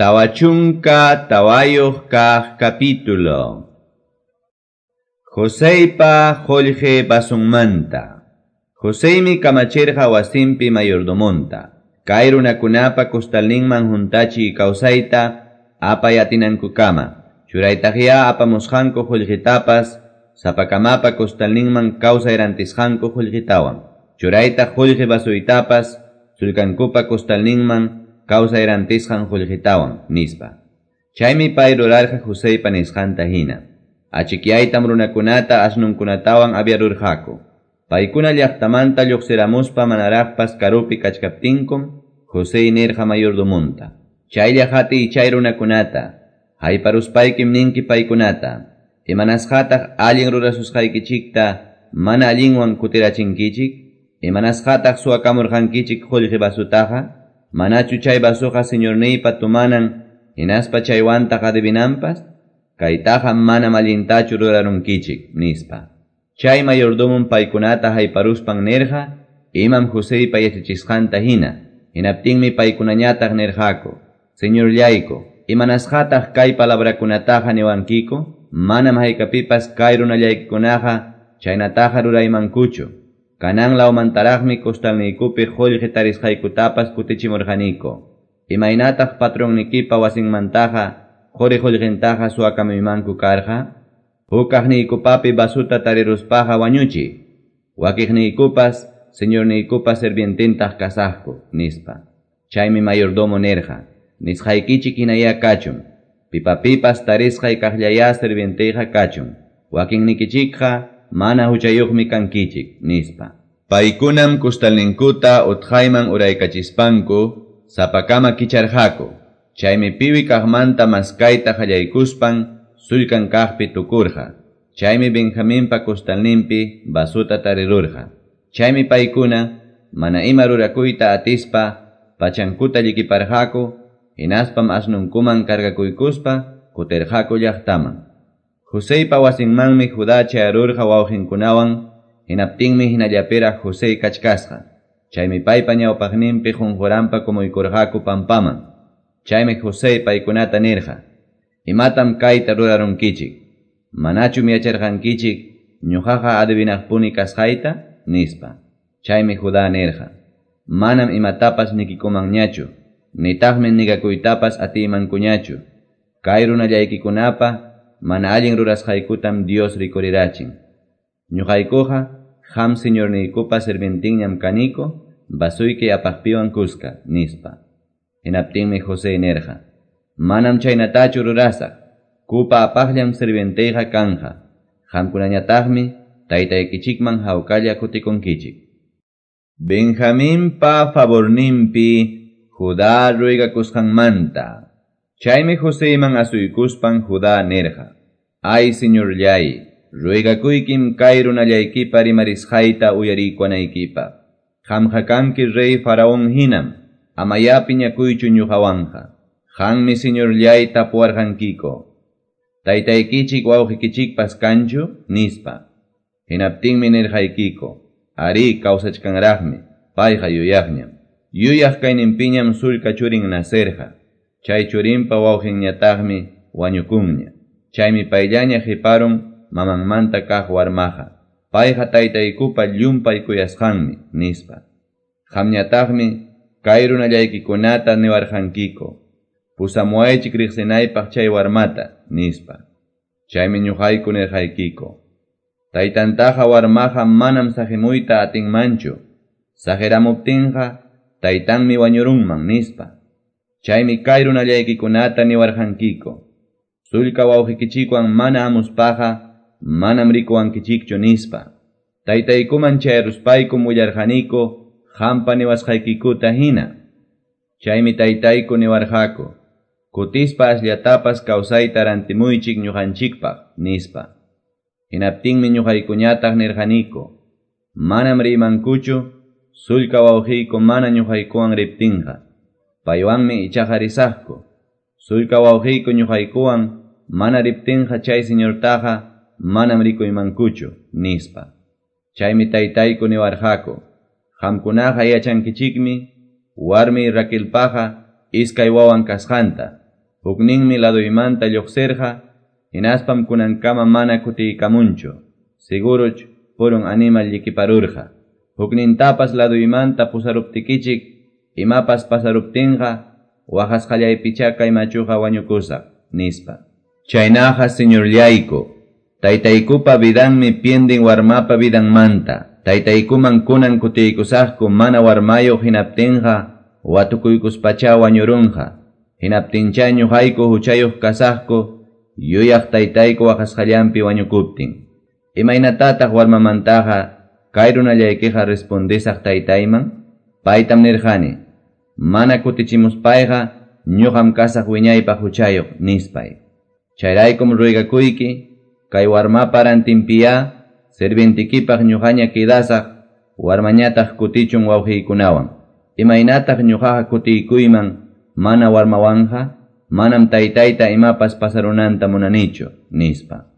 24 kaq capítulo. Joseypa qullqi vasunmanta. Joseymi kamachirqa wasinpi mayordomonta. Kay runakunapa kustalninman huntachi kawsayta apay atinankukama. Churaytaqya apamusqanku qullqitapas sapakamapa kustalninman kawsay rantisqanku qullqitawan. Churaytaq qullqi vasuytapas sullkankupa kustalninman kawsay rantisqan qullqitawan, nispa. Chaymi pay rurarqa Joseypa nisqanta hina. Achikyaytam runakunata asnunkunatawan aviarurqaku. Paykuna llaqtamanta lluqsiramuspa manaraqpas karupi kachkaptinkum, Josey nirqa mayordomonta: Chaylla hatiy chay runakunata, hayparuspaykim ninki paykunata, imanasqataq allin rurasusqaykichikta mana allinwan kutirachinkichik, imanasqataq suwakamurqankichik qullqi vasutaqa, manachu chay vasuqa señorniypa tumanan hinaspa chaywantaq adivinanpas, kaytaqa manam allintachu rurarunkichik, nispa. Chay mayordomon paykunata hayparuspan nirqa, imam Joseypa yachachisqanta hina, hinaptinmi paykunañataq nirqaku: Señorllayku, imanasqataq kay palabrakunataqa niwankiku? Manam haykapipas kay runallaykikunaqa chaynataqa ruraymankuchu. Kanan lawmantaraqmi kustalniykupi qullqi tarisqaykutapas kutichimurqaniku. Imaynataq patronnikipa wasinmantaqa quri qullqintaqa suwakamuymanku karqa? Hukaqniykupapi vasuta tariruspaqa wañuchi. Wakiqniykupas señorniykupa sirvientintaq kasaqku, nispa. Chaymi mayordomo nirqa: Nisqaykichik hinayá kachun. Pipapipas tarisqay kaqllayá sirvientiyqa kachun. Wakinnikichikqa mana huchayuqmi kankichik, nispa. Paykunam kustalninkuta utqayman uraykachispanku sapakama kicharqaku. Chaymi piwi kaqmanta maskayta qallaykuspan sullkan kaqpi tukurqa. Chaymi Benjaminpa kustalninpi vasuta tarirurqa. Chaymi paykuna mana ima rurakuyta atispa pachankuta llikiparqaku, hinaspam asnunkuman cargakuykuspa kutirqaku llaqtaman. Joseypa wasinmanmi Judá chayarurqa wawqinkunawan, hinaptinmi hinallapiraq Josey kachkasqa. Chaymi paypa ñawpaqninpi qunquranpa kumuykurqaku pampaman. Chaymi Josey paykunata nirqa: Imatam kayta rurarunkichik? Manachum yacharqankichik ñuqaqa adivinaqpuni kasqayta? Nispa. Chaymi Judá nirqa: Manam imatapas nikikumanñachu, nitaqmi nigakuytapas atiymankuñachu. Kay runallaykikunapa mana allin rurasqaykutam Dios rikurirachin. Ñuqaykuqa qam señorniykupa sirvientinñam kaniko, vasuyki apaqpiwan kuska, nispa. Hinaptinmi José nirqa: Manam chaynatachu rurasaq, kupa apaqllam sirvientiyqa kanja. Qamkunañataqmi taytaykichikman hawkalla kutikunkichik. Benjaminpa favorninpi Judá ruegakusqanmanta. Chaymi Joseyman asuykuspan Judá nirqa: Ay, señorllay, ruegakuykim kay runallaykipa rimarisqayta uyarikunaykipaq. Qamqa kanki rey Faraón hinam, amayá piñakuychu ñuqawanqa. Qanmi señorllay tapuwarqankiko: Taytaykichik wawqikichikpas kanchu? Nispa. Hinaptinmi nirqaykiko: Arí, kawsachkanraqmi, payqa yuyaqñam. Yuyaq kayninpiñam sullka churin nacerqa. Chay churinpa wawqinñataqmi wañukunña. Chaymi payllaña qiparun mamanmanta kaq warmaqa. Payqa taytaykupa llumpay kuyasqanmi, nispa. Qamñataqmi kay runallaykikunata niwarqankiko: Pusamuwaychik riqsinaypaq chay warmata, nispa. Chaymi ñuqayku nirqaykiko: Taytantaqa warmaqa manam saqimuyta atinmanchu. Saqiramuptinqa taytanmi wañurunman, nispa. Chaymi kay runallaykikunata niwarqankiko: Sullka wawqikichikwan mana amuspaqa manam rikuwankichikchu, nispa. Taytaykuman chayaruspaykum willarqaniku qampa niwasqaykikuta hina. Chaymi taytayku niwarqaku: Kutispa asllatapas kawsayta rantimuychik ñuqanchikpaq, nispa. Hinaptinmi ñuqaykuñataq nirqaniku: Manam riymankuchu sullka wawqiyku mana ñuqaykuwan riptinqa. Paywanmi ichaqa risaqku. Sullka wawqiyku ñuqaykuwan mana riptinqa chay señortaqa manam rikuymankuchu, nispa. Chaymi taytayku niwarqaku: Qamkunaqa yachankichikmi warmi Raquelpaqa iskay wawan kasqanta. Hukninmi ladoymanta lluqsirqa, hinaspam kunankama mana kutiykamunchu. Seguruch purun animal llikiparurqa. Huknintapas ladoymanta pusaruptikichik, imapas pasaruptinqa, waqasqallaypichá kay machuqa wañukusaq, nispa. Chaynaqa señorllayku, taytaykupa vidanmi piendin warmapa vidanmanta. Taytaykuman kunan kutiykusaqku mana warmayuq hinaptinqa, watukuykuspachá wañurunqa. Hinaptinchá ñuqayku huchayuq kasaqku, yuyaq taytayku waqasqallanpi wañukuptin. Imaynatataq warmamantaqa kay runallaykiqa respondesaq taytayman? Paytam nirqani, mana kutichimuspayqa ñuqam kasaq wiñaypaq huchayuq, nispay. Chayraykum ruygakuyki, kay warmapa rantinpiyá sirvientikipaq ñuqaña quedasaq, warmañataq kutichun wawqiykunawan. Imaynataq ñuqaqa kutiykuyman mana warmawanqa, manam taytayta imapas pasarunanta munanichu, nispa.